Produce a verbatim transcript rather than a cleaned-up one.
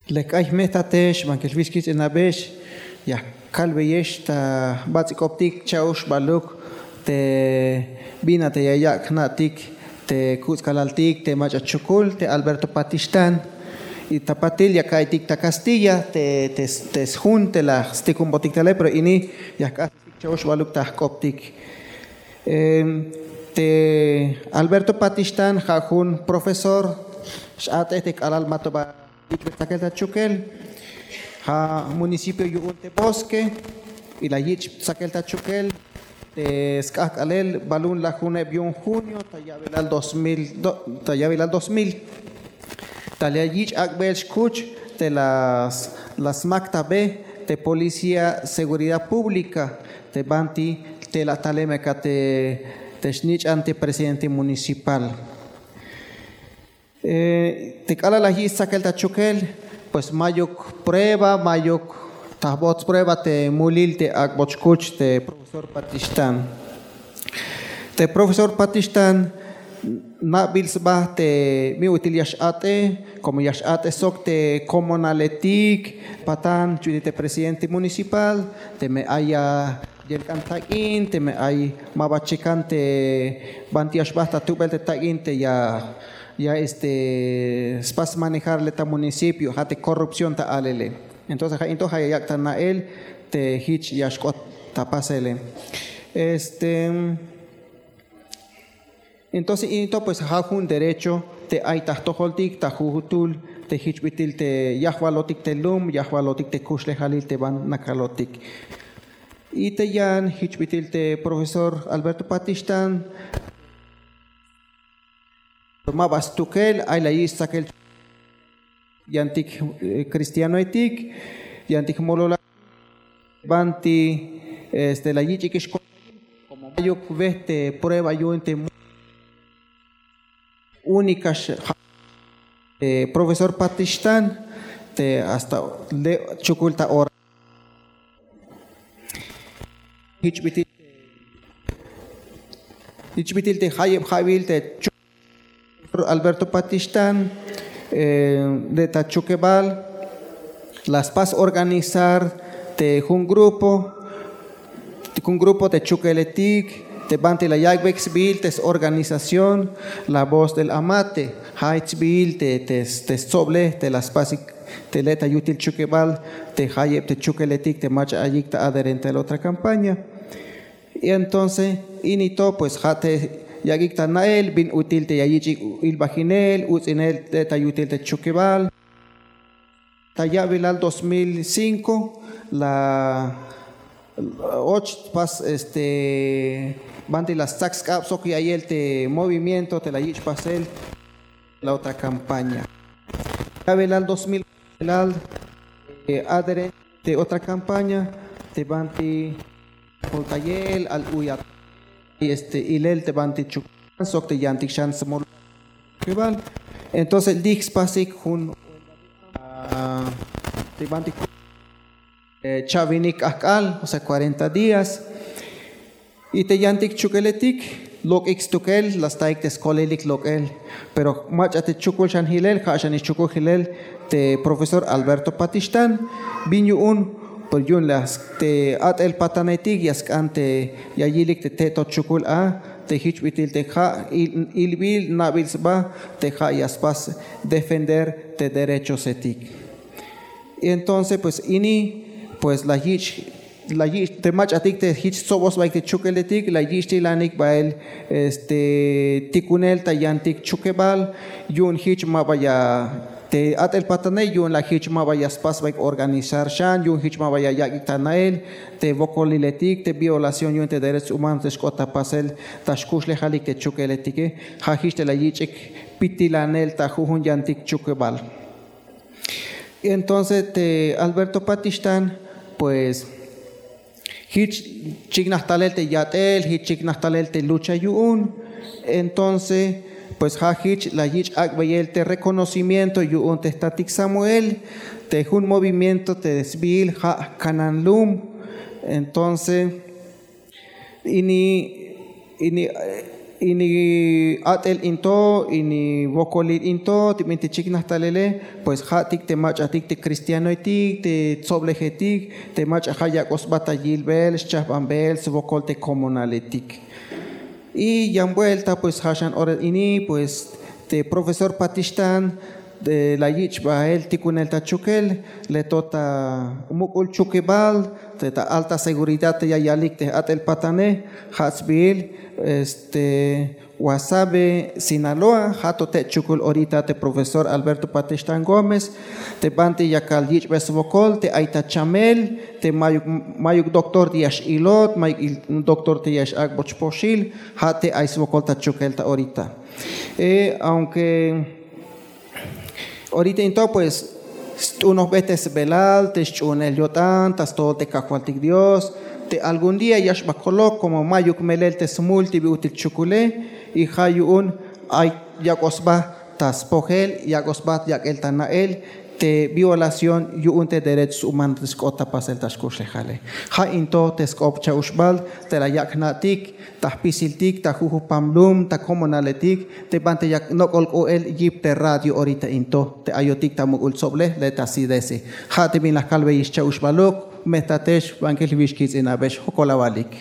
Lek k'ay jme'jtatex bankel wix kich'inabex, ya kalbeyex ta bats'il k'optik cha'oxbaluk te bin a te ya yak' jna'tik te kuts'kalaltik te mach'a chukul te Alberto Patixtán. Y ta patil ya ka'iytik ta kastilla te te sjun te la stikunbotik tale, pero ini ya jk'astik cha'oxbaluk ta jk'optik. Te Alberto Patixtán ja' jun profesor x'a'tej te k'alal ma to ba yich' tsakel ta chukel. Ja' municipio yu'un te Bosque, y la yich' tsakel ta chukel te sk'ajk'alel balun lajuneb yu'un junio ta ya'bilal dos mil ta ya'bilal dos mil. Ta la yich' ak'bel xkuch te la smaktabe te policía seguridad pública te banti te la talem aka te te snich'an te presidente municipal. Te k'alal la yich' tsakel ta chukel, pues mayuk prueba, mayuk tajbots prueba te mulil te ak'bot xkuch te profesor Patixtán. Te profesor Patixtán nabil sba te bin ut'il ya x'a'tej, como ya x'a'tej sok te komonaletik patan ch'uti te presidente municipal, teme ay ya yelk'an tak'in, teme ay ma ba chekan te banti ya xba ta tubel te tak'in te ya ya este spas manejar le ta municipio, ja' te corrupción ta alele. Entonces ja' into ja' ya yak' ta na'el te jich ya xk'ot ta pasele. Este entonces into pues ja' jun derecho te ay ta jtojoltik ta jujutul te jich bit'il te yajwalotik te lum, yajwalotik te kuxlejalil te ban nakalotik. Y te yan jich bit'il te profesor Alberto Patixtán, ma ba stukel ay la yich' tsakel yantik cristianoetik, yantik mololal banti este la yich'ik ix, como mayuk wej te prueba yu'un te única. Profesor Patixtán te hasta le' chukul ta ora. Jich bit'il jich bit'il te jayeb ja'wil te Alberto Patixtán le' ta Chukebal la spas organizar te jun grupo jun grupo te chukeletik te banti la yak'beyik sbiil te s-organización La Voz del Amate. Ja' jich sbiil te te stsoblej te la spasik te le' ta yutil Chukebal te jayeb te chukeletik te mach'a ayik ta adherente a la otra campaña. Y entonces ini to pues ja' te yak'ik ta na'el bin ut'il te ya yich'ik ilbajinel uts'inel le' ta yutil te Chukebal. Ta ya'bilal dos mil cinco la och spas este banti la stsak sk'ab sok ya'iyel te movimiento te la yich' pasel la otra campaña. Ya'bilal dos mil ya'bilal adherente te otra campaña te banti joltayel al uyat este ilel te banti Chukebal sok te yantik xan smol Chukebal. Entonces lij spasik jun te banti cha'winik k'ajk'al, o sea cuarenta días. Y te yantik chukeletik lok'ik stukel la staik te skolelik lok'el. Pero mach'a te chukul xan jilel, ja' xan ix chukul jilel te profesor Alberto Patixtán. Bin yu'un, pero yu'un la te a'tel patanetik ya sk'an te ya yilik te te to chukul a te jich bit'il te ja' ilbil nabil sba te ja' ya spas defender te derechosetik. Y entonces pues ini pues la yich' la yich' te mach'atik te jich stsobosbaik te chukeletik la yich'tilanik bael este tikunel ta yantik Chukebal. Yu'un jich ma ba ya te a'tel patane yu'un la jich ma ba ya spasbaik organizar xan, yu'un jich ma ba ya yak'ik ta na'el te wokoliletik te violación yu'un te derechos humanos te xk'ot ta pasel ta xkuxlejalik te chukeletike. Ja' jich te la yich'ik pitilanel ta jujun yantik Chukebal. Entonces te Alberto Patixtán pues jich chiknaj talel te yat'el, jich chiknaj talel te lucha yu'un. Entonces pues ja' jich la yich' ak'beyel te reconocimiento yu'un te jtatik Samuel te jun movimiento te sbiil ja' Kanan Lum. Entonces ini ini Ini at'el into, ini wokolil into te bintik chiknaj talele, pues ja'tik te mach'atik te cristianoetik, te tsoblejetik, te mach'a ja' yak'oj sba ta yilbel, schajbanbel swokol te komonaletik. Y yan buelta pues ja' xan ora ini pues te profesor Patixtan la yich' bael tikunel ta chukel, le to ta muk'ul chukibal te ta alta seguridad te ya yalik te at'el patane, ja' sbiil este Guasave, Sinaloa. Ja' to te chukul orita te profesor Alberto Patixtan Gómez, te banti yakal yich'be swokol te ay ta chamel, te mayuk mayuk doctor te ya x'ilot, mayuk doctor te ya x'ak'bot spoxil, ja' te ay swokol ta chukel ta orita. Aunque orita into pues st'unojbe te sbelal te sch'uhunel yo'tan ta stojol te kajwaltik Dios, te algún día ya xba kolok komo mayuk melel te smul te bi ut'il chukule. Y ja' yu'un ay yak'oj sba ta spojel, yak'oj sba yak'el ta na'el te violación yu'un te derechos humanos te xk'ot ta pasel ta xkuxlejale. Ja' into te sk'op cha'uxbal te la yak' jna'tik ta jpisiltik, ta jujupam lum, ta komonaletik, te banti yak nok'ol k'oel yip te radio orita into te ayotik ta muk'ul tsoblej le ta sidesi. Ja' te bin la kalbeyix cha'uxbaluk. Me tatex, bankil jwix kitz'inabex, jokol awalik.